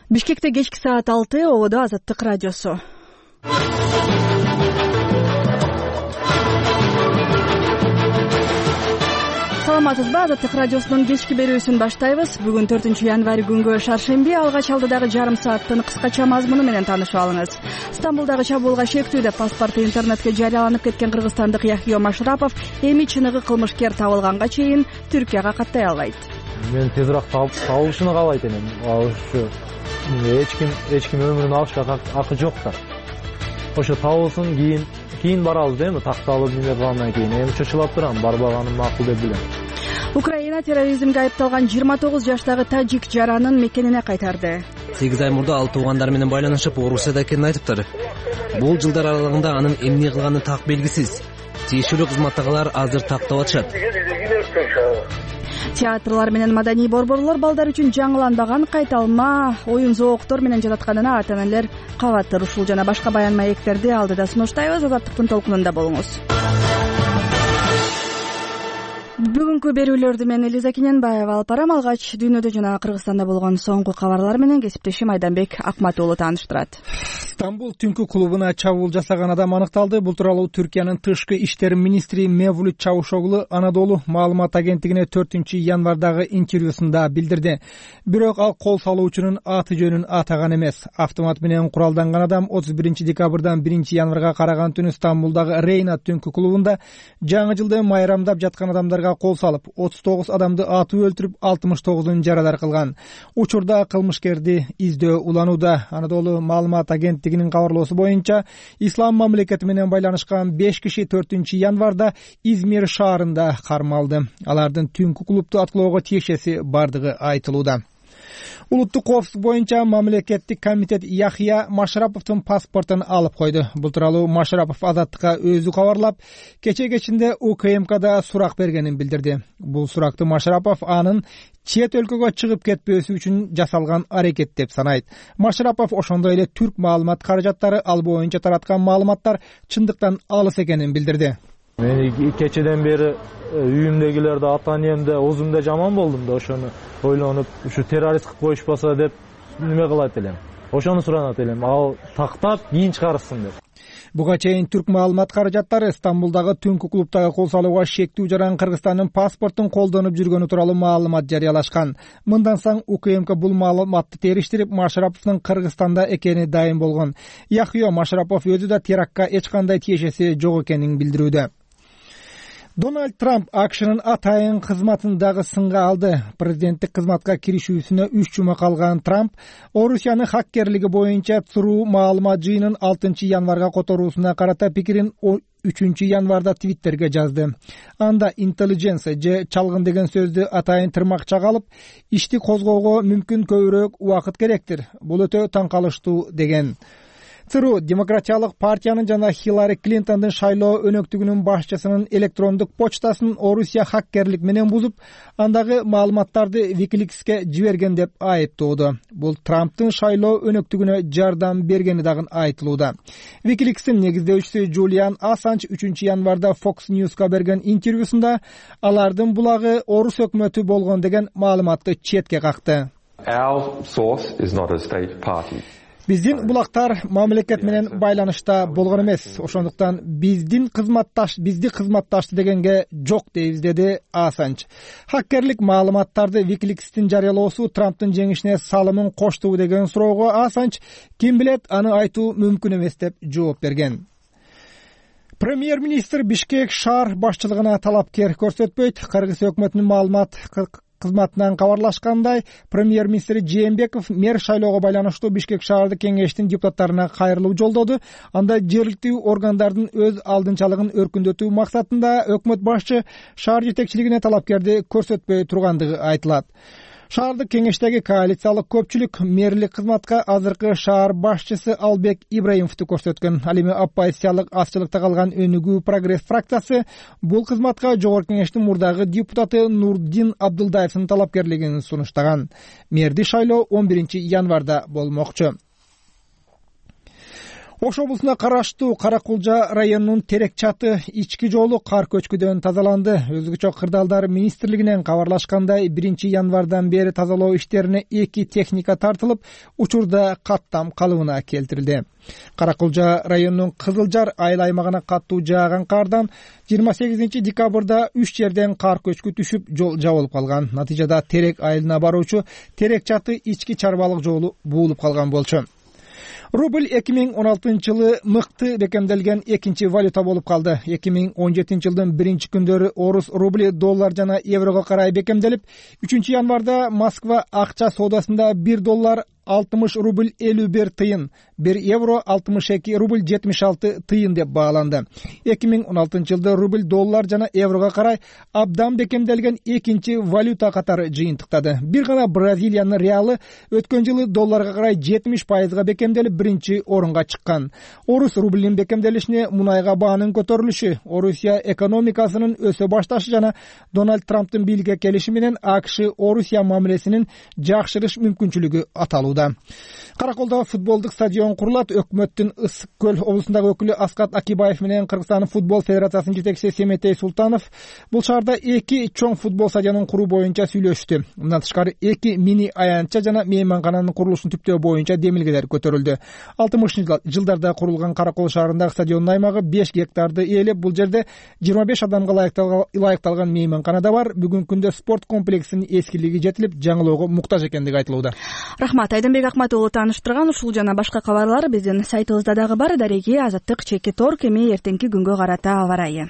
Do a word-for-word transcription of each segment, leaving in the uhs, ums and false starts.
Бишкекте кечки саат алты, ободо Азаттык радиосу. Саламатсызбы? Азаттык радиосунун кечки берүүсүн баштайбыз. Бүгүн төртүнчү январь күнгө шаршемби. Алгач алдыдагы жарым сааттын кыскача мазмуну менен таанышып алыңыз. Стамбулдагы чабуулга шектүү деп паспорту интернетке жарыяланып кеткен кыргызстандык Яхио Машрапов эми чыныгы кылмышкер табылганга чейин Түркияга каттай албайт. Мен тезирээк табылышын каалайт элем. Ушу эч ким эч ким өмүрүн алышка акы жок да. Ошо табылсын, кийин кийин барабыз дейм, такталып неме кылгандан кийин. Эми чочулап турам, барбаганым макул деп билем. Украина терроризмге айыпталган жыйырма тогуз жаштагы тажик жаранын мекенине кайтарды. сегиз ай мурда ал туугандар менен байланышып, Орусияда экенин айтыптыр. Бул жылдар аралыгында анын эмне кылганы так белгисиз. Тиешелүү кызматтагылар азыр тактап атышат. Театрлар менен маданий борборлор балдар үчүн жаңыланбаган кайталма оюн зооктор менен жататканына ата-энелер кабаттыр. Ушул жана башка баян маектерди алдыда сунуштайбыз. Азаттыктын толкунунда болуңуз. Бүгүнкү берүүлөрдү мен Элиза Кененбаева алып барам. Алгач дүйнөдө жана Кыргызстанда болгон соңку кабарлар менен кесиптешим Айданбек Акматуулу тааныштырат. Стамбул түнкү клубуна чабуул жасаган адам аныкталды. Бул тууралуу Түркиянын тышкы иштер министри Мевлют Чавушоглу Анадолу маалымат агенттигине төртүнчү январдагы интервьюсунда билдирди. Бирок ал кол салуучунун аты жөнүн атаган эмес. Автомат менен куралданган адам отуз биринчи декабрдан биринчи январга караган түнү Стамбулдагы Рейна түнкү клубунда жаңы жылды майрамдап жаткан адамдарга кол салып, отуз тогуз адамды атып өлтүрүп, алтымыш тогузун жарадар кылган. Учурда кылмышкерди издөө уланууда. Анадолу маалымат агенттигинин кабарлоосу боюнча, ислам мамлекети менен байланышкан беш киши төртүнчү январда Измир шаарында кармалды. Алардын түнкү клубду аткылоого тиешеси бардыгы айтылууда. Улуттук коопсуздук боюнча мамлекеттик комитет Яхия Машраповдун паспортун алып койду. Бул тууралуу Машрапов Азаттыкка өзү кабарлап, кече кечинде У К М Кда сурак бергенин билдирди. Бул суракты Машрапов анын чет өлкөгө чыгып кетпөөсү үчүн жасалган аракет деп санайт. Машрапов ошондой эле түрк маалымат каражаттары ал боюнча тараткан маалыматтар чындыктан алыс экенин билдирди. Мен кечеден бери үйүмдөгүлөрдү, ата-энемде, озумда жаман болдум да, ошону ойлонуп, ушу террорист кылып коюшпаса деп неме кылат элем. Ошону суранат элем, ал тактап кийин чыгарышсын деп. Буга чейин түрк маалымат каражаттары Стамбулдагы түнкү клубдагы кол салууга шектүү жаран Кыргызстандын паспортун колдонуп жүргөнү тууралуу маалымат жарыялашкан. Мындан соң У К М К бул маалыматты териштирип, Машраповдун Кыргызстанда экени дайым болгон. Яхио Машрапов өзү да терактка эч кандай тиешеси жок экенин билдирүүдө. Дональд Трамп АКШнын атайын кызматын дагы сынга алды. Президенттик кызматка киришүүсүнө үч жума калган Трамп Орусиянын хаккерлиги боюнча ЦРУ маалымат жыйынын алтынчы январга которуусуна карата пикирин үчүнчү январда Твиттерге жазды. Анда intelligence же чалгын деген сөздү атайын тырмакча алып, ишти козгоого мүмкүн көбүрөөк убакыт керектир. Бул өтө таң калыштуу деген. ЦРУ Демократиялык партиянын жана Хиллари Клинтондун шайлоо өнөктүгүнүн башчысынын электрондук почтасын Орусия хаккерлик менен бузуп, андагы маалыматтарды Wikileaks'ке жиберген деп айыптоодо. Бул Трамптын шайлоо өнөктүгүнө жардам бергени дагы айтылууда. Wikileaks'тин негиздөөчүсү Джулиан Ассанж үчүнчү январда Fox News'ка берген интервьюсунда алардын булагы Орус өкмөтү болгон деген маалыматты четке какты. Our source is not a state party. Биздин булактар мамлекет менен байланышта болгон эмес. Ошондуктан биздин кызматташ, бизди кызматташты дегенге жок дейбиз, деди Ассанж. Хаккерлик маалыматтарды Wikileaks'тин жарыялоосу Трамптын жеңишине салымын коштубу деген суроого Ассанж ким билет, аны айтуу мүмкүн эмес деп жооп берген. Премьер-министр Бишкек шаар башчылыгына талапкер көрсөтпөйт. Кыргыз өкмөтүнүн маалымат кызматынан кабарлашкандай, премьер-министр Жээнбеков мэр шайлоого байланыштуу Бишкек шаардык кеңештин депутаттарына кайрылуу жолдоду. Анда жергиликтүү органдардын өз алдынчалыгын өркүндөтүү максатында өкмөт башчы шаар жетекчилигине талапкерди көрсөтпөй тургандыгы айтылат. Шаардык кеңештеги коалициялык көпчүлүк мэрлик кызматка азыркы шаар башчысы Албек Ибраимовду көрсөткөн. Ал эми оппозициялык азчылыкта калган Өнүгүү прогресс фракциясы бул кызматка жогорку кеңештин мурдагы депутаты Нурдин Абдылдаевдин талапкерлигин сунуштаган. Мэрди шайлоо он биринчи январда болмокчу. Ош облусуна караштуу Кара Кулжа районунун Терек чаты ички жолу кар көчкүдөн тазаланды. Өзгөчө кырдаалдар министрлигинен кабарлашкандай биринчи январдан бери тазалоо иштерине эки техника тартылып, учурда каттам калыбына келтирилди. Кара Кулжа районунун Кызылжар айыл аймагына каттуу жааган кардан жыйырма сегизинчи декабрда үч жерден кар көчкү түшүп, жол жабылып калган. Натыйжада Терек айылына баруучу Терек чаты ички чарбалык жолу буулуп калган болчу. Рубль эки миң он алтынчы жылы мыкты бекемделген экинчи валюта болуп калды. эки миң он жетинчи жылдын биринчи күндөрү орус рубли доллар жана еврого карай бекемделип, үчүнчү январда Москва акча соодасында бир доллар алтымыш рубль элүү бир тыйын, бир евро алтымыш эки рубль жетимиш алты тыйын деп бааланды. эки миң он алтынчы жылда рубль доллар жана еврого карай абдан бекемделген экинчи валюта катары жыйынтыктады. Бир гана Бразилиянын реалы өткөн жылы долларга карай жетимиш пайызга бекемделип, биринчи орунга чыккан. Орус рублинин бекемделишине мунайга баанын көтөрүлүшү, Орусия экономикасынын өсө башташы жана Дональд Трамптын бийликке келиши менен АКШ Орусия мамилесинин жакшырыш мүмкүнчүлүгү аталууда. Караколдо футболдук стадион курулат. Өкмөттүн Ысык көл облусундагы өкүлү Аскат Акибаев менен Кыргызстан футбол федерациясынын жетекчиси Семетей Султанов бул шаарда эки чоң футбол стадионун куруу боюнча сүйлөштү. Мындан тышкары эки мини аянтча жана мейманкананын курулушун түптөө боюнча демилгелер көтөрүлдү. алтымышынчы жылдарда курулган Каракол шаарындагы стадиондун аймагы беш гектарды ээлеп, бул жерде жыйырма беш адамга ылайыкталган мейманкана да бар. Бүгүнкү күндө спорт комплексинин эскилиги жетилип, жаңылоого муктаж экендиги айтылууда. Рахмат, Айдынбек Акматулу таныштырган. Ушул жана башка кабарлар биздин сайтыбызда дагы бар. Дареги Азаттык чеки торг эми эртеңки күнгө карата аба ырайы.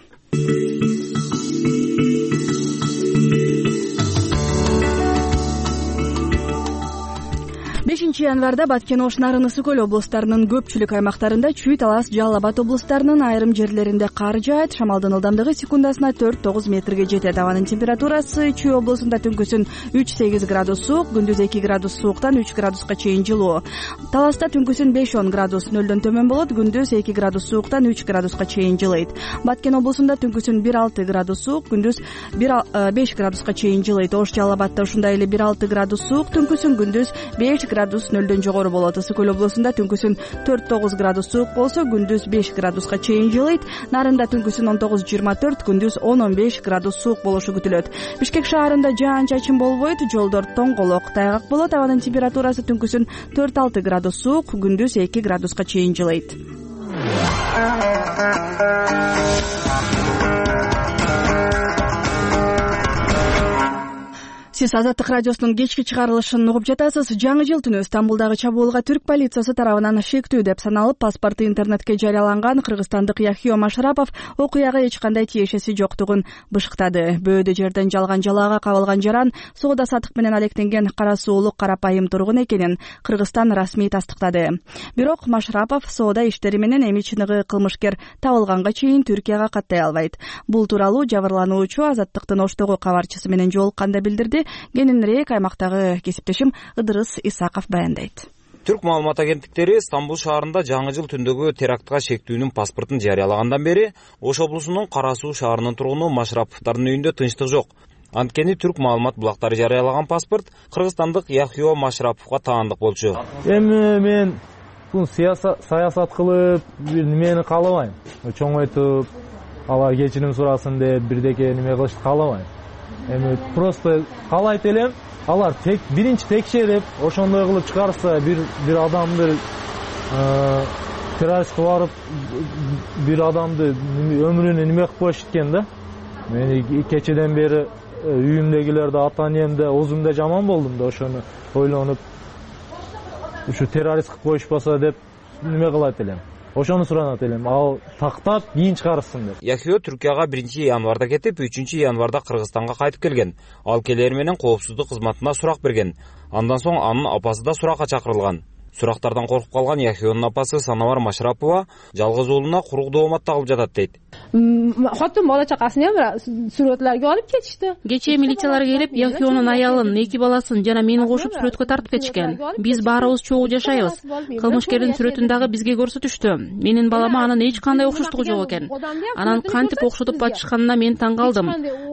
бешинчи январда Баткен, Ош, Нарын, Ысык көл облустарынын көпчүлүк аймактарында, Чүй, Талас, Жалал Абад облустарынын айрым жерлеринде кар жаайт. Шамалдын ылдамдыгы секундасына төрт тогуз метрге жетет. Абанын температурасы Чүй облусунда түнкүсүн үч сегиз градус суук, күндүз эки градус сууктан үч градуска чейин жылуу. Таласта түнкүсүн беш он градус нөлдөн төмөн болот, күндүз эки градус сууктан үч градуска чейин жылыйт. Баткен облусунда түнкүсүн бир алты градус суук, күндүз беш градуска чейин жылыйт. Ош, Жалал Абадта ушундай эле бир алты градус суук, түнкүсүн күндүз беш градус нөлдөн жогору болот. Ысык көл облусунда түнкүсүн төрт тогуз градус суук болсо, күндүз беш градуска чейин жылыйт. Нарында түнкүсүн он тогуз жыйырма төрт, күндүз он он беш градус суук болушу күтүлөт. Бишкек шаарында жаан-чачын болбойт, жолдор тоңголок, тайгак болот. Абанын температурасы түнкүсүн төрт алты градус суук, күндүз эки градуска чейин жылыйт. Сиз Азаттык радиосунун кечки чыгарылышын угуп жатасыз. Жаңы жыл түнү Стамбулдагы чабуулга түрк полициясы тарабынан шектүү деп саналып, паспорту интернетке жарыяланган кыргызстандык Яхио Машрапов окуяга эч кандай тиешеси жоктугун бышыктады. Бөөдө жерден жалган жалаага кабылган жаран соода сатык менен алектенген кара суулук карапайым тургун экенин Кыргызстан расмий тастыктады. Бирок Машрапов соода иштери менен эми чыныгы кылмышкер табылганга чейин Түркияга каттай албайт. Бул тууралуу жабырлануучу Азаттыктын Оштогу кабарчысы менен жолукканда билдирди. Кененирээк аймактагы кесиптешим Ыдырыс Исаков баяндайт. Түрк маалымат агенттиктери Стамбул шаарында жаңы жыл түндөгү терактка шектүүнүн паспортун жарыялагандан бери Ош облусунун Кара Суу шаарынын тургуну Машраповдардын үйүндө тынчтык жок. Анткени түрк маалымат булактары жарыялаган паспорт кыргызстандык Яхио Машраповго таандык болчу. Эми мен бул саясат кылып, немени каалабайм. Чоңойтуп, алар кечирим сурасын деп бирдеке неме кылышты каалабайм. Эми просто каалайт элем, алар тек биринчи текшерип, ошондой кылып чыгарса, бир бир адамды террористке барып, бир адамды өмүрүнө неме кылып коюш экен да. Мен кечеден бери үйүмдөгүлөрдө, ата-энемде, өзүмдө жаман болдум да, ошону ойлонуп, ушу террорист кылып коюшпаса деп неме кылат элем. Ошону суранат элем, ал тактап кийин чыгарсын деп. Яхио Түркияга биринчи январда кетип, үчүнчү январда Кыргызстанга кайтып келген. Ал келер менен коопсуздук кызматына сурак берген. Андан соң анын апасы да суракка чакырылган. Сурактардан коркуп калган Яхионун апасы Санавар Машрапова жалгыз уулуна курук дооматта кылып жатат дейт. Хотун бала чакасын сүрөтлөргө алып кетишти. Кечээ милициялар келип, Яхионун аялын, эки баласын жана мени кошуп сүрөткө тартып кетишкен. Биз баарыбыз чогуу жашайбыз. Кылмышкердин сүрөтүн дагы бизге көрсөтүштү. Менин балама анын эч кандай окшоштугу жок экен. Анан кантип окшотуп батышканына мен таң калдым.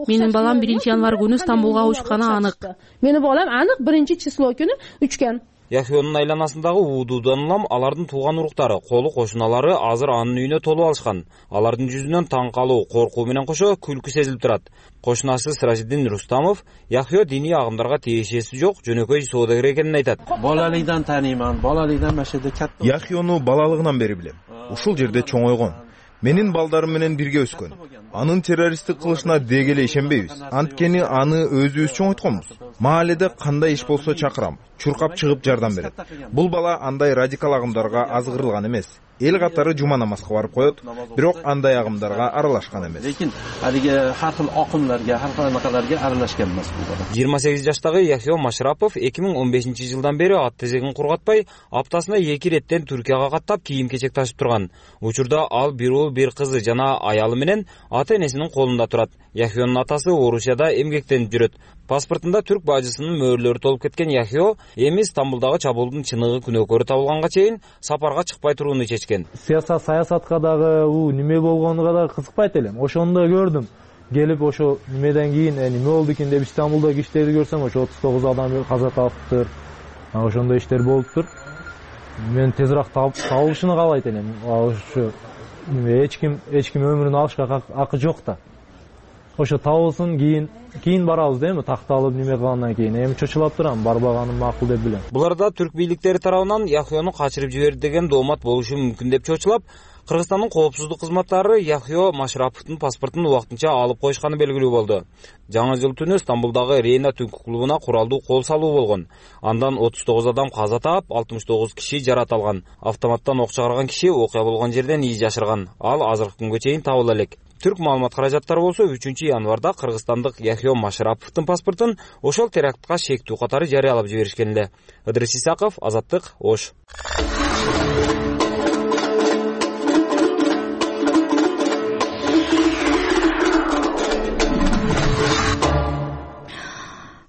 Менин балам биринчи январ күнү Стамбулга учканы анык. Менин балам анык биринчи число күнү учкан. Яхионун айланасындагы уудуудан улам алардын тууган уруктары, колу кошуналары азыр анын үйүнө толуп алышкан. Алардын жүзүнөн таң калуу, коркуу менен кошо күлкү сезилип турат. Кошунасы Сиражиддин Рустамов Яхио диний агымдарга тиешеси жок жөнөкөй соодагер экенин айтат. Балалыктан тааныйман, балалыктан машеде катты. Яхиону балалыгынан бери билем. Ушул жерде чоңойгон. Менин балдарым менен бирге өскөн. Анын террористтик кылышына деги эле ишенбейбиз. Анткени аны өзүбүз чоңойтконбуз. Мааледе кандай иш болсо чакырам, чуркап чыгып жардам берет. Бул бала андай радикал агымдарга азгырылган эмес. Эл катары жума намазга барып коет, бирок андай агымдарга аралашкан эмес. Лекин алиги ар кыл акымдарга, ар кыл накаларга аралашкан эмес бул бала. жыйырма сегиз жаштагы Яхио Машрапов эки миң он бешинчи жылдан бери ат тезегин кургатпай, аптасына эки реттен Түркияга каттап кийим-кечек ташып турган. Учурда ал бир уул, бир кызы жана аялы менен ата-энесинин колунда турат. Яхионун атасы Орусияда эмгектенип жүрөт. Паспортунда түрк бажысынын мөөрлөрү толуп кеткен Яхио эми Стамбулдагы чабуулдун чыныгы күнөөкөрү табылганга чейин сапарга чыкпай турууну чечкен. Саясат саясатка дагы у неме болгонуга дагы кызыкпайт элем. Ошону да көрдүм. Келип ошо немеден кийин неме болду экен деп Стамбулдагы иштерди көрсөм, ошо отуз тогуз адам каза таптыр. Ошондой иштер болуптур. Мен тезирээк табылышын каалайт элем. Ошо эч ким эч ким өмүрүн алышка акы жок да. Ошо табылсын, кийин кийин барабыз дейм, такталып неме кылгандан кийин. Эми чочулап турам, барбаганым макул деп билем. Буларда түрк бийликтери тарабынан Яхиону качырып жиберди деген доомат болушу мүмкүн деп чочулап, Кыргызстандын коопсуздук кызматтары Яхио Машраповдун паспортун убактынча алып коюшканы белгилүү болду. Жаңы жыл түнү Стамбулдагы Рейна түнкү клубуна куралдуу кол салуу болгон. Андан отуз тогуз адам каза таап, алтымыш тогуз киши жарат алган. Автоматтан ок чыгарган киши окуя болгон жерден ии жашырган. Ал азыркы күнгө чейин табыла элек. Түрк маалымат каражаттары болсо үчүнчү январда кыргызстандык Яхио Машраповдун паспортун ошол терактка шектүү катары жарыялап жиберишкен эле. Ыдырыс Исаков, Азаттык, Ош.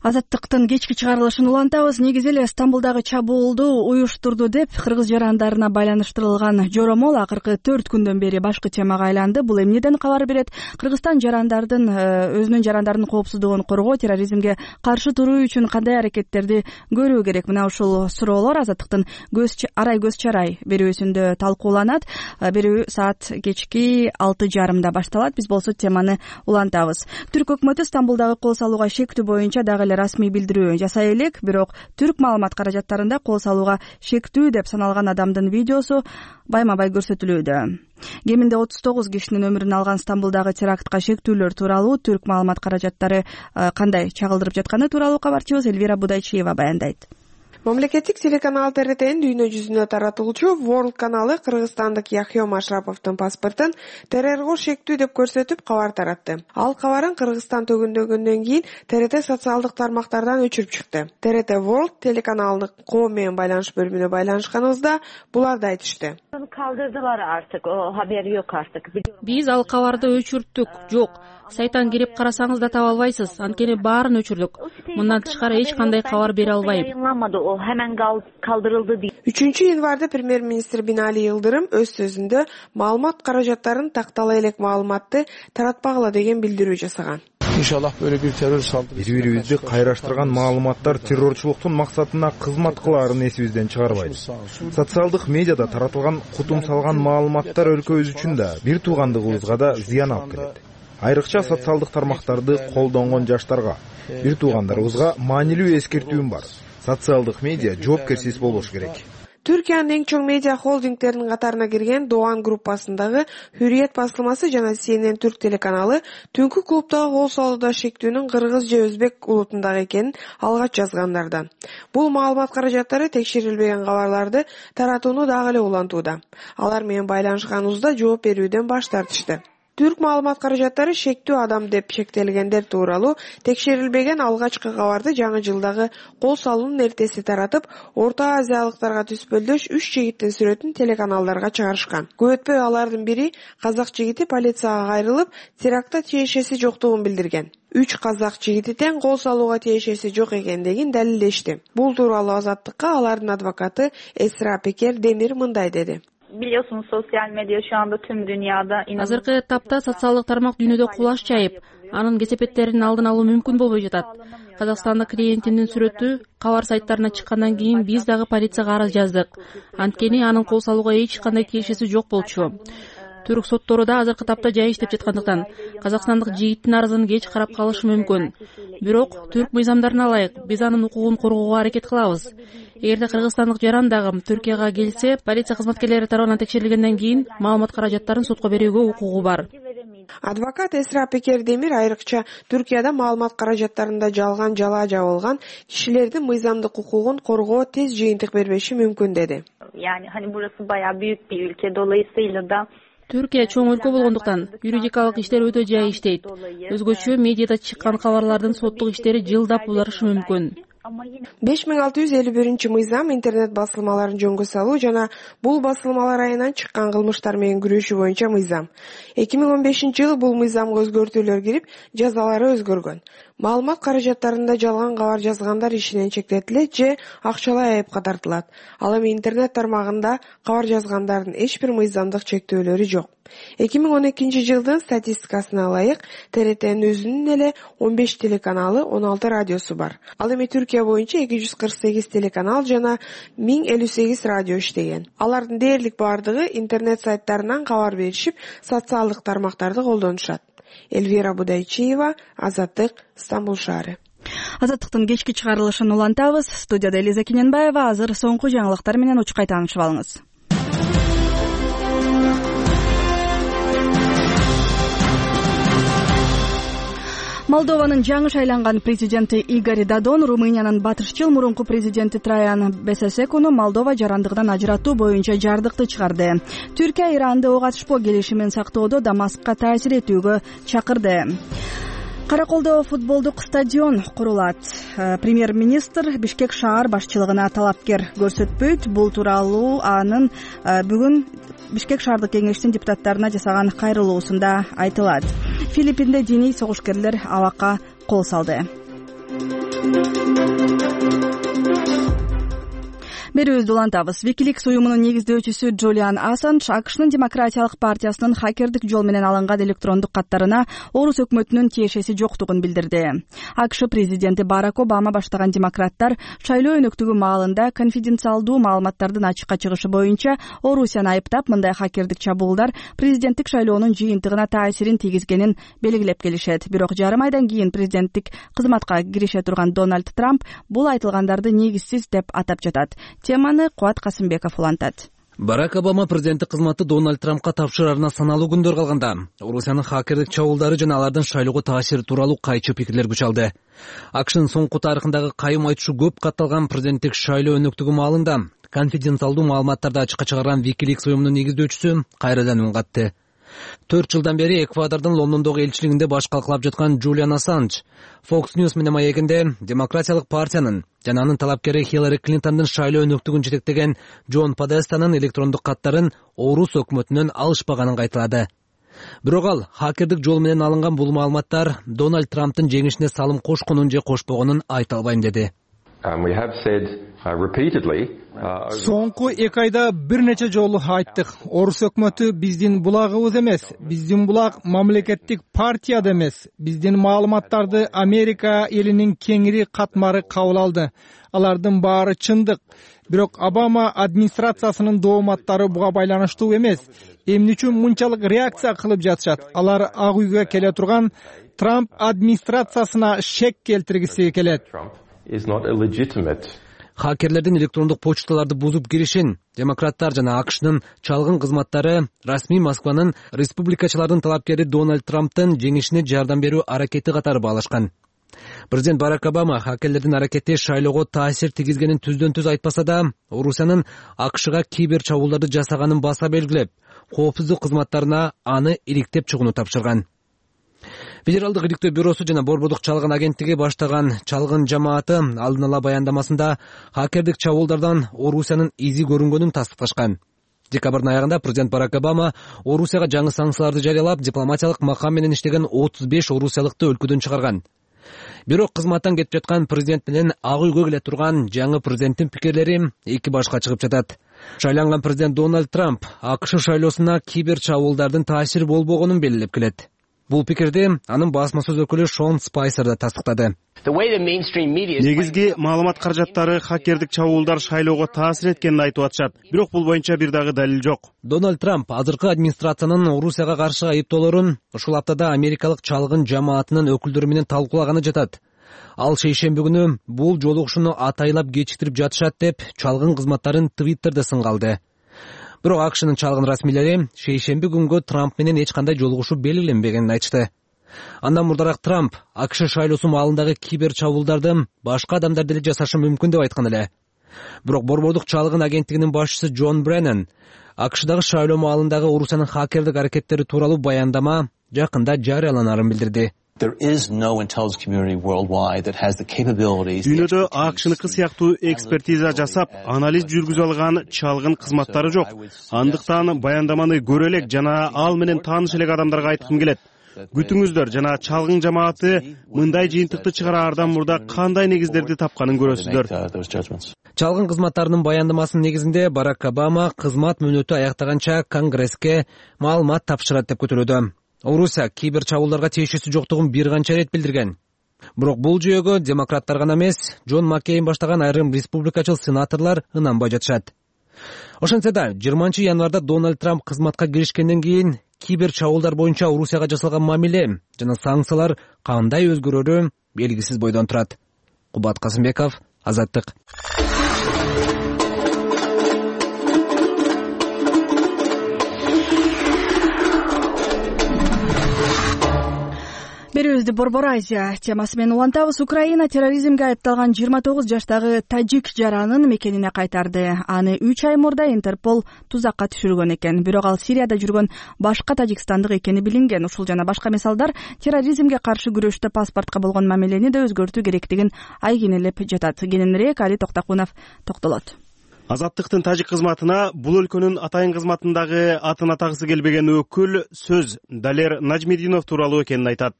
Азаттыктын кечки чыгарылышын улантабыз. Негизи эле Стамбулдагы чабуулду уюштурду деп кыргыз жарандарына байланыштырылган жоромол акыркы төрт күндөн бери башкы темага айланды. Бул эмнеден кабар берет? Кыргызстан жарандардын өзүнүн жарандарынын коопсуздугун коргоо, терроризмге каршы туруу үчүн кандай аракеттерди көрүү керек? Мына ушул суроолор Азаттыктын көз арай көз чарай берүүсүндө талкууланат. Берүү саат кечки алты жарымда башталат. Биз болсо теманы улантабыз. Түрк өкмөтү Стамбулдагы кол салууга шектүү боюнча дагы расмий билдирүү жасай элек, бирок түрк маалымат каражаттарында кол салууга шектүү деп саналган адамдын видеосу байма-бай көрсөтүлүүдө. Кеминде отуз тогуз кишинин өмүрүн алган Стамбулдагы терактка шектүүлөр тууралуу түрк маалымат каражаттары кандай чагылдырып жатканы тууралуу кабарчыбыз Элвира Будайчиева баяндайт. Мамлекеттик телеканал Т Р Т'нин дүйнө жүзүнө таратылуучу World каналы кыргызстандык Яхио Машраповдун паспортун террорго шектүү деп көрсөтүп кабар таратты. Ал кабарын Кыргызстан төгүндөгөндөн кийин Т Р Т социалдык тармактардан өчүрүп чыкты. Т Р Т World телеканалынын коом менен байланыш бөлүмүнө байланышканыбызда буларды айтышты. Kaldırdılar artık, o haber yok artık. Биз ал кабарды өчүрттүк. Жок. Сайтан кирип карасаңыз да таба албайсыз. Анткени баарын өчүрдүк. Мындан тышкары эч кандай кабар бере албайм. үчүнчү январда премьер-министр Бинали Йылдырым өз сөзүндө маалымат каражаттарын тактала элек маалыматты таратпагыла деген билдирүү жасаган. İnşallah böyle bir terör saldırısı. Бири-бирибизди кайраштырган маалыматтар террорчулуктун максатына кызмат кылаарын эсибизден чыгарбайбыз. Социалдык медиада таратылган кутум салган маалыматтар өлкөбүз үчүн да, бир туугандыгыбызга да зыян алып келет. Айрыкча социалдык тармактарды колдонгон жаштарга, бир туугандарыбызга маанилүү эскертүүм бар. Социалдык медиа жоопкерсиз болуш керек. Түркиянын эң чоң медиа холдингтеринин катарына кирген Doğan группасындагы Hürriyet басылмасы жана Си Эн Эн Түрк телеканалы түнкү клубдагы кол салууда шектүүнүн кыргыз же өзбек улутунда экенин алгач жазгандардан. Бул маалымат каражаттары текшерилбеген кабарларды таратууну дагы эле улантууда. Алар менен байланышканыбызда жооп берүүдөн баш тартышты. Түрк маалымат каражаттары шектүү адам деп шектелгендер тууралуу текшерилбеген алгачкы кабарды жаңы жылдагы кол салуунун эртеси таратып, Орто Азиялыктарга түспөлдөш үч жигиттин сүрөтүн телеканалдарга чыгарышкан. Көп өтпөй алардын бири казак жигити полицияга кайрылып, терактта тиешеси жоктугун билдирген. Үч казак жигити тең кол салууга тиешеси жок экендигин далилдешти. Бул тууралуу Азаттыкка алардын адвокаты Эсра Пекер Демир мындай деди. Biliyorsunuz sosyal medya şu anda tüm dünyada азыркы этапта социалдык тармак дүйнөдө кулаш жайып, анын кесепеттерин алдын алуу мүмкүн болбой жатат. Казакстандык клиентимдин сүрөтү кабар сайттарына чыккандан кийин биз дагы полицияга арыз жаздык. Анткени анын кол салууга эч кандай тиешеси жок болчу. Түрк соттору да азыркы тапта жай иштеп жаткандыктан казакстандык жигиттин арызын кеч карап калышы мүмкүн. Бирок түрк мыйзамдарына ылайык биз анын укугун коргоого аракет кылабыз. Эгерде кыргызстандык жаран дагы Түркияга келсе, полиция кызматкерлери тарабынан текшерилгенден кийин маалымат каражаттарын сотко берүүгө укугу бар. Адвокат Эсра Пекердемир айрыкча Түркияда маалымат каражаттарында жалган жала жабылган кишилердин мыйзамдык укугун коргоо тез жыйынтык бербеши мүмкүн деди. Yani hani burası bayağı büyük bir ülke, dolayısıyla da Түркия чоң өлкө болгондуктан юридикалык иштер өтө жай иштейт. Өзгөчө медиада чыккан кабарлардын соттук иштери жылдап узарышы мүмкүн. беш миң алты жүз элүү биринчи мыйзам интернет басылмаларын жөнгө салуу жана бул басылмалар айынан чыккан кылмыштар менен күрөшүү боюнча мыйзам. эки миң он бешинчи жылы бул мыйзамга өзгөртүүлөр кирип, жазалары өзгөргөн. Маалымат каражаттарында жалган кабар жазгандар ишинен чектетилет же акчалай айыпка тартылат. Ал эми интернет тармагында кабар жазгандардын эч бир мыйзамдык чектөөлөрү жок. эки миң он экинчи жылдын статистикасына ылайык, Т Р Т'нин өзүнүн эле он беш телеканалы, он алты радиосу бар. Ал эми Түркия боюнча эки жүз кырк сегиз телеканал жана миң элүү сегиз радио иштеген. Алардын дээрлик бардыгы интернет сайттарынан кабар беришип, социалдык тармактарды колдонушат. Эльвира Будайчиева, Азаттык, Стамбул шаары. Азаттыктын кечки чыгарылышын улантабыз. Студияда Элиза Кененбаева. Азыр соңку жаңылыктар менен учкай таанышып алыңыз. Молдованын жаңы шайланган президенти Игорь Додон Румыниянын батышчыл мурунку президенти Траян Бесесекуну Молдова жарандыгынан ажыратуу боюнча жардыкты чыгарды. Түркия Иранды ок атышпоо келишимин сактоодо Дамаскка таасир этүүгө чакырды. Караколдо футболдук стадион курулат. Премьер-министр Бишкек шаар башчылыгына талапкер көрсөтпөйт. Бул тууралуу анын бүгүн Бишкек шаардык кеңештин депутаттарына жасаган кайрылуусунда айтылат. Филиппинде диний согушкерлер абакка кол салды. Берүүбүздү улантабыз. Wikileaks уюмунун негиздөөчүсү Джулиан Ассанж АКШнын демократиялык партиясынын хакердик жол менен алынган электрондук каттарына орус өкмөтүнүн тиешеси жоктугун билдирди. АКШ президенти Барак Обама баштаган демократтар шайлоо өнөктүгү маалында конфиденциалдуу маалыматтардын ачыкка чыгышы боюнча Орусияны айыптап, мындай хакердик чабуулдар президенттик шайлоонун жыйынтыгына таасирин тийгизгенин белгилеп келишет. Бирок жарым айдан кийин президенттик кызматка кирише турган Дональд Трамп бул айтылгандарды негизсиз деп атап жатат. Теманы Куат Касымбеков улантат. Барак Обама президенттик кызматты Дональд Трампка тапшырарына саналуу күндөр калганда Орусиянын хакердик чабуулдары жана алардын шайлоого таасири тууралуу кайчы пикирлер күч алды. АКШнын соңку тарыхындагы кайым айтышы көп катталган президенттик шайлоо өнөктүгү маалында конфиденциалдуу маалыматтарды ачыкка чыгарган Wikileaks уюмунун негиздөөчүсү кайрадан үн катты. Төрт жылдан бери Эквадордун Лондондогу элчилигинде баш калкалап жаткан Джулиан Ассанж Fox News менен маегинде демократиялык партиянын жана анын талапкери Хиллари Клинтондун шайлоо өнөктүгүн жетектеген Джон Подестанын электрондук каттарын орус өкмөтүнөн алышпаганын кайталады. Бирок ал хакердик жол менен алынган бул маалыматтар Дональд Трамптын жеңишине салым кошконун же кошпогонун айта албайм деди. Соңку эки айда бир нече жолу айттык. Орус өкмөтү биздин булагыбыз эмес, биздин булак мамлекеттик партия да эмес. Биздин маалыматтарды Америка элинин кеңири катмары кабыл алды. Алардын баары чындык. Бирок Обама администрациясынын дооматтары буга байланыштуу эмес. Эмне үчүн мынчалык реакция кылып жатышат? Алар Ак үйгө келе турган Трамп администрациясына шек келтиргиси келет. Хакерлердин электрондук почталарды бузуп киришин демократтар жана АКШнын чалгын кызматтары расмий Москванын республикачылардын талапкери Дональд Трамптын жеңишине жардам берүү аракети катары баалашкан. Президент Барак Обама хакерлердин аракети шайлоого таасир тийгизгенин түздөн түз айтпаса да, Орусиянын АКШга кибер чабуулдарды жасаганын баса белгилеп, коопсуздук кызматтарына аны иликтеп чыгууну тапшырган. Федералдык иликтөө бюросу жана Борбордук чалгын агенттиги баштаган чалгын жамааты алдын ала баяндамасында хакердик чабуулдардан Орусиянын изи көрүнгөнүн тастыкташкан. Декабрдын аягында президент Барак Обама Орусияга жаңы санкцияларды жарыялап, дипломатиялык макам менен иштеген отуз беш орусиялыкты өлкөдөн чыгарган. Бирок кызматтан кетип жаткан президент менен Ак үйгө келе турган жаңы президенттин пикирлери эки башка чыгып жатат. Шайланган президент Дональд Трамп АКШ шайлоосуна кибер чабуулдардын таасири болбогонун белгилеп келет. Бул пикирди анын басма сөз өкүлү Шон Спайсер да тастыктады. Негизги маалымат каражаттары хакердик чабуулдар шайлоого таасир эткенин айтып атышат. Бирок бул боюнча бир дагы далил жок. Дональд Трамп азыркы администрациянын Орусияга каршы айыптоолорун ушул аптада америкалык чалгын жамаатынын өкүлдөрү менен талкуулаганы жатат. Ал шейшемби күнү бул жолугушууну атайлап кечиктирип жатышат деп чалгын кызматтарын Твиттерде сынга алды. Бирок АКШнын чалгын расмийлери шейшемби күнгө Трамп менен эч кандай жолугушуу белгиленбегенин айтышты. Андан мурдараак Трамп АКШ шайлоосу маалындагы кибер чабуулдарды башка адамдар деле жасашы мүмкүн деп айткан эле. Бирок Борбордук чалгын агенттигинин башчысы Джон Бреннан АКШдагы шайлоо маалындагы Орусиянын хакердик аракеттери тууралуу баяндама жакында жарыяланарын билдирди. Дүйнөдө АКШныкы сыяктуу экспертиза жасап, анализ жүргүзө алган чалгын кызматтары жок. Андыктан баяндаманы көрө элек жана ал менен тааныш элек адамдарга айткым келет. Күтүңүздөр жана чалгын жамааты мындай жыйынтыкты чыгараардан мурда кандай негиздерди тапканын көрөсүздөр. Чалгын кызматтарынын баяндамасынын негизинде Барак Обама кызмат мөөнөтү аяктаганча Конгресске маалымат тапшырат деп күтүлүүдө. Орусия кибер чабуулдарга тиешеси жоктугун бир канча ирет билдирген. Бирок бул жүйөгө демократтар гана эмес, Джон Маккейн баштаган айрым республикачыл сенаторлор ынанбай жатышат. Ошентсе да жыйырманчы январда Дональд Трамп кызматка киришкенден кийин кибер чабуулдар боюнча Орусияга жасалган мамиле жана санкциялар кандай өзгөрөрү белгисиз бойдон турат. Кубат Касымбеков, Азаттык. Берүүбүздү Борбор Азия темасы менен улантабыз. Украина терроризмге айыпталган жыйырма тогуз жаштагы тажик жаранын мекенине кайтарды. Аны үч ай мурда Интерпол тузакка түшүргөн экен. Бирок ал Сирияда жүргөн башка тажикстандык экени билинген. Ушул жана башка мисалдар терроризмге каршы күрөштө паспортко болгон мамилени да өзгөртүү керектигин айгинелеп жатат. Кененирээк Али Токтакунов токтолот. Азаттыктын тажик кызматына бул өлкөнүн атайын кызматындагы атын атагысы келбеген өкүл сөз Далер Нажмединов тууралуу экенин айтат.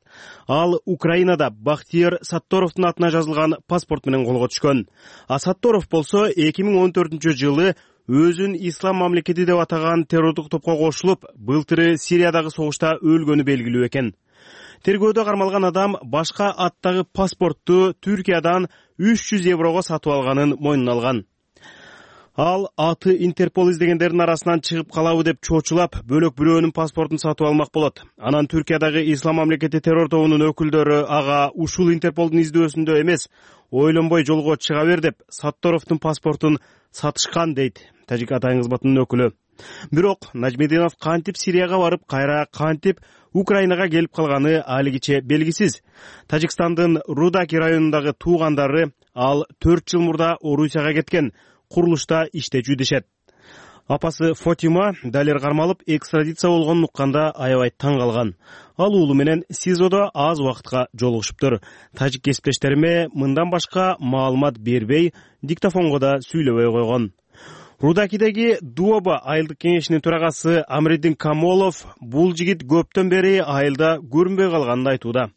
Ал Украинада Бахтияр Сатторовдун атына жазылган паспорт менен колго түшкөн. А Сатторов болсо эки миң он төртүнчү жылы өзүн ислам мамлекети деп атаган террордук топко кошулуп, былтыры Сириядагы согушта өлгөнү белгилүү экен. Тергөөдө кармалган адам башка аттагы паспортту Түркиядан үч жүз еврого сатып алганын мойнуна алган. Ал аты Интерпол издегендердин арасынан чыгып калабы деп чочулап, бөлөк бирөөнүн паспортун сатып алмак болот. Анан Түркиядагы ислам мамлекети террор тобунун өкүлдөрү ага ушул Интерполдун издөөсүндө эмес, ойлонбой жолго чыга бер деп Сатторовдун паспортун сатышкан дейт тажик атайын кызматынын өкүлү. Бирок Нажмединов кантип Сирияга барып, кайра кантип Украинага келип калганы алигиче белгисиз. Тажикстандын Рудаки районундагы туугандары ал төрт жыл мурда Орусияга кеткен. Курулушта иштечү дешет. Апасы Фотима Далер кармалып экстрадиция болгонун укканда аябай таң калган. Ал уулу менен СИЗОдо аз убакытка жолугушуптур. Тажик кесиптештериме мындан башка маалымат бербей, диктофонго да сүйлөбөй койгон. Рудакидеги Дуоба айылдык кеңешинин төрагасы Амриддин Камолов бул жигит көптөн бери айылда көрүнбөй калганын айтууда.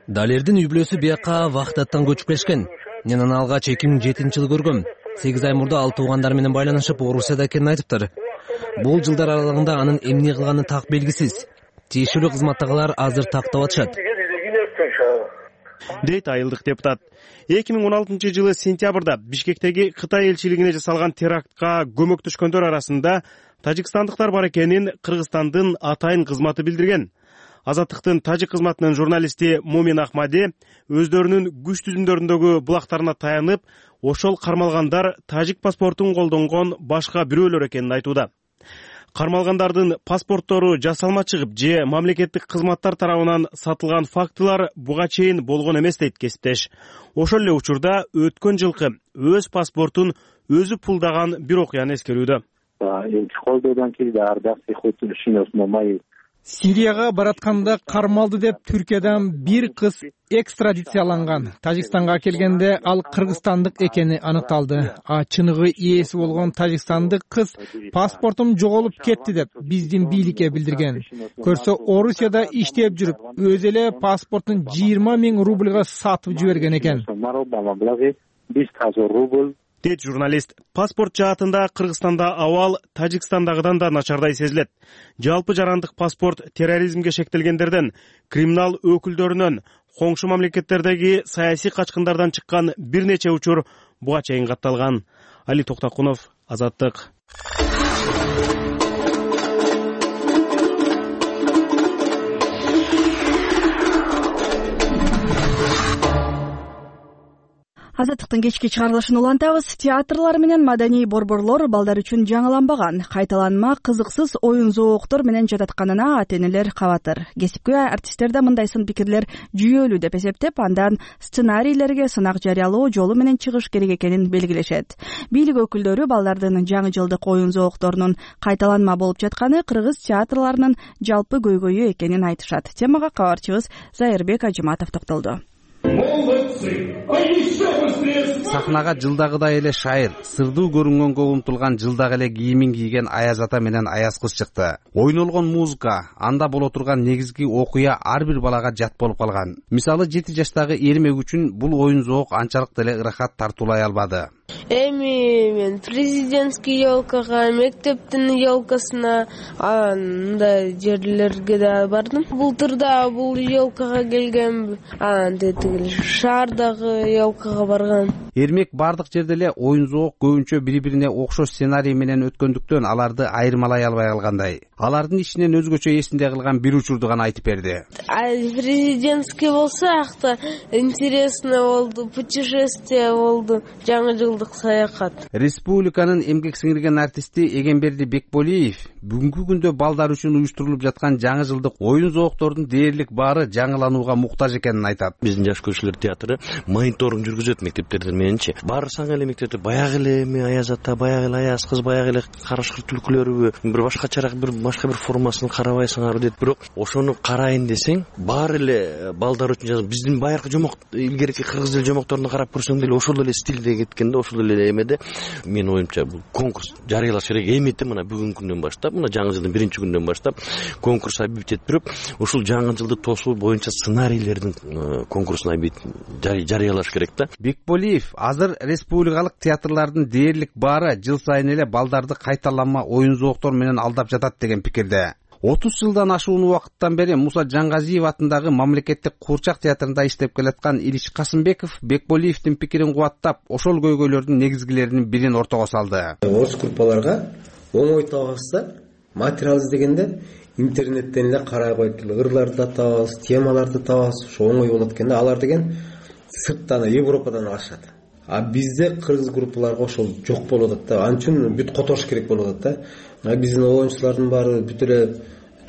Далердин үй бүлөсү бияка Вахдаттан көчүп келишкен. Мен аны алгач эки миң жетинчи жылы көргөм. сегиз ай мурда ал туугандары менен байланышып Орусияда экенин айтыптыр. Бул жылдар аралыгында анын эмне кылганы так белгисиз. Тиешелүү кызматтагылар азыр тактап атышат, дейт айылдык депутат. эки миң он алтынчы жылы сентябрда Бишкектеги Кытай элчилигине жасалган терактка көмөктөшкөндөр арасында тажикстандыктар бар экенин Кыргызстандын атайын кызматы билдирген. Азаттыктын тажик кызматынын журналисти Мумин Ахмади өздөрүнүн күч түзүмдөрүндөгү булактарына таянып, ошол кармалгандар тажик паспортун колдонгон башка бирөөлөр экенин айтууда. Кармалгандардын паспорттору жасалма чыгып же мамлекеттик кызматтар тарабынан сатылган фактылар буга чейин болгон эмес дейт кесиптеш. Ошол эле учурда өткөн жылкы өз паспортун өзү пулдаган бир окуяны эскерүүдө. Сирияга баратканда кармалды деп Түркиядан бир кыз экстрадицияланган. Тажикстанга келгенде ал кыргызстандык экени аныкталды. А чыныгы ээси болгон тажикстандык кыз паспортум жоголуп кетти деп биздин бийликке билдирген. Көрсө Орусияда иштеп жүрүп, өзү эле паспортун жыйырма миң рубльга сатып жиберген экен. дейт журналист. Паспорт жаатында Кыргызстанда абал Тажикстандагыдан да начардай сезилет. Жалпы жарандык паспорт терроризмге шектелгендерден, криминал өкүлдөрүнөн, коңшу мамлекеттердеги саясий качкындардан чыккан бир нече учур буга чейин катталган. Али Токтакунов, Азаттык. Азаттыктын кечки чыгарылышын улантабыз. Театрлар менен маданий борборлор балдар үчүн жаңыланбаган, кайталанма кызыксыз оюн зооктор менен жататканына ата-энелер кабатыр. Кесипкөй артисттерде мындай сын пикирлер жүйөлүү деп эсептеп, андан сценарийлерге сынак жарыялоо жолу менен чыгыш керек экенин белгилешет. Бийлик өкүлдөрү балдардын жаңы жылдык оюн зоокторунун кайталанма болуп жатканы кыргыз театрларынын жалпы көйгөйү экенин айтышат. Темага кабарчыбыз Зайырбек Ажыматов токтолду. Сахнага жылдагыдай эле шайыр, сырдуу көрүнгөнгө умтулган жылдагы эле кийимин кийген Аяз ата менен Аяз кыз чыкты. Ойнолгон музыка, анда боло турган негизги окуя ар бир балага жат болуп калган. Мисалы жети жаштагы Эрмек үчүн бул оюн зоок анчалык деле ырахат тартуулай албады. Эми мен президентский елкага, мектептин елкасына, андай жерлерге да бардым. Былтырда бул елкага келгем, андай шаардагы елкага барган. Эрмек бардык жерде эле оюн зоок көбүнчө бири-бирине окшош сценарий менен өткөндүктөн аларды айырмалай албай калгандай. Алардын ичинен өзгөчө эсинде калган бир учурду гана айтып берди. Президентский болсо, акта интересно болду, путешествие болду, жаңы жылдык саякат. Республиканын эмгек сиңирген артисти Эгемберди Бекболиев бүгүнкү күндө балдар үчүн уюштурулуп жаткан жаңы жылдык оюн зооктордун дээрлик баары жаңыланууга муктаж экенин айтат. Биздин жаш көчүлөр театры мониторинг жүргүзөт мектептерде мененчи. Барсаң эле мектепте баягы эле эми Аяз ата, баягы эле Аяз кыз, баягы эле карашкыр түлкүлөрүбү, бир башкачараак бир башка бир формасын карабайсыңарбы дейт. Бирок ошону карайын десең, баары эле балдар үчүн жазып, биздин байыркы жомок, илгерки кыргыз эл жомокторуна карап көрсөң деле ошол эле стилде кеткен да, ошол эле эмеде. Менин оюмча бул конкурс жарыялаш керек. Эметти мына бүгүнкү күндөн баштап, мына жаңы жылдын биринчи күнүнөн баштап конкурс объявить этип, ушул жаңы жылды тосуу боюнча сценарийлердин конкурсун объявить жарыялаш керек да. Бекболиев азыр республикалык театрлардын дээрлик баары жыл сайын эле балдарды кайталанма оюн зооктор менен алдап жатат деген пикирде. отуз жылдан ашуун убакыттан бери Муса Жаңгазиев атындагы мамлекеттик Куурчак театрында иштеп келаткан Илич Касымбеков Бекболиевдин пикирин кубаттап, ошол көйгөйлөрдүн негизгилеринин бирин ортого салды. Орус группаларга оңой табакса, материал издегенде интернеттен эле карай коюп, ырларды да табабыз, темаларды табабыз, ошо оңой болот экен да. Алар деген сырттан, Европадан алышат. А бизде кыргыз группаларга ошол жок болуп атат да. Ал үчүн бүт которуш керек болуп атат да. Биздин оюнчулардын баары бүт эле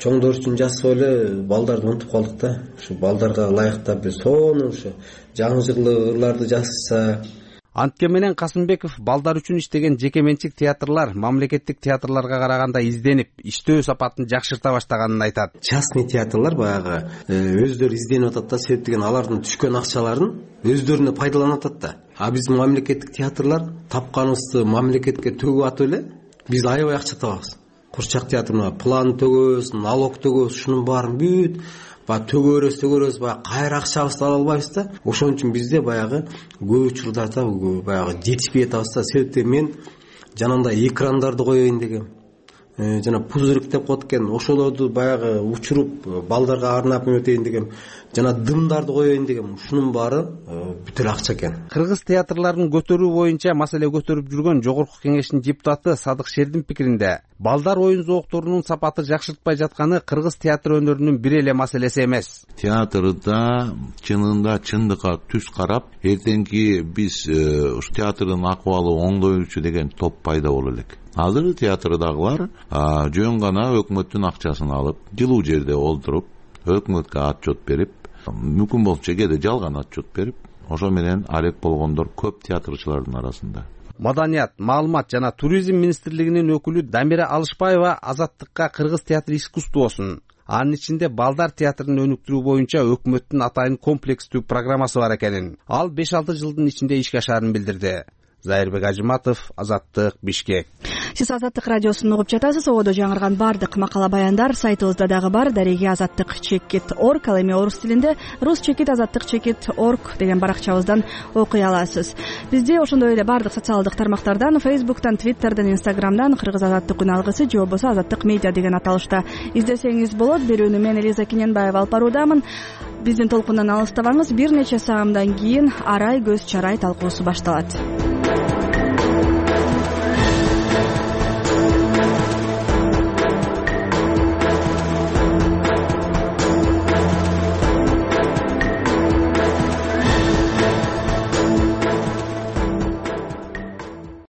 чоңдор үчүн жасап эле балдарды унутуп калдык да. Ушу балдарга ылайыктап бир сонун ушу жаңы жылдык ырларды жазса. Антке менен Касымбеков балдар үчүн иштеген жеке менчик театрлар мамлекеттик театрларга караганда изденип, иштөө сапатын жакшырта баштаганын айтат. Частный театрлар баягы өздөрү изденип атат да, себеп деген алардын түшкөн акчаларын өздөрүнө пайдаланып атат да. А биздин мамлекеттик театрлар тапканыбызды мамлекетке төгүп атып эле биз аябай акча табабыз. Курчак театрына план төгөбүз, налог төгөбүз, ушунун баарын бүт ба төгөрөз төгөрөз баягы кайра акчабызды ала албайбыз да. Ошон үчүн бизде баягы көп учурдарда баягы жетишпей атабыз да. Себептен мен жанагындай экрандарды коеюн дегем. Жана пузырик деп коет экен, ошолорду баягы учуруп балдарга арнап өтөйүн дегем. Жана дымдарды коеюн дегем. Ушунун баары бүт эле акча экен. Кыргыз театрларын көтөрүү боюнча маселе көтөрүп жүргөн Жогорку Кеңештин депутаты Садык Шердин пикиринде, балдар оюн зоокторунун сапаты жакшыртпай жатканы кыргыз театр өнөрүнүн бир эле маселеси эмес. Театрда чынында чындыкка түз карап, эртеңки биз ушу театрдын акыбалы оңдоючу деген топ пайда боло элек. Азыр театрдагылар жөн гана өкмөттүн акчасын алып, жылуу жерде олтуруп, өкмөткө отчет берип, мүмкүн болсо кээде жалган отчет берип, ошо менен алек болгондор көп театрчылардын арасында. Маданият, маалымат жана туризм министрлигинин өкүлү Дамира Алышбаева Азаттыкка кыргыз театр искусствосун, анын ичинде балдар театрын өнүктүрүү боюнча өкмөттүн атайын комплекстүү программасы бар экенин, ал беш алты жылдын ичинде ишке ашаарын билдирди. Зайырбек Ажыматов, Азаттык, Бишкек. сиз Азаттык радиосун угуп жатасыз. Ободо жаңырган баардык макала баяндар сайтыбызда дагы бар. Дареги азаттык чекит орг, ал эми орус тилинде рус чекит азаттык чекит орг деген баракчабыздан окуй аласыз. Бизде ошондой эле баардык социалдык тармактардан, Facebook'тан, Twitter'дан, Instagram'дан кыргыз азаттык үн алгысы же болбосо азаттык медиа деген аталышта издесеңиз болот. Берүүнү мен Элиза Кененбаева алып баруудамын. Биздин толкундан алыстабаңыз. Бир нече саамдан кийин арай көз чарай талкуусу башталат.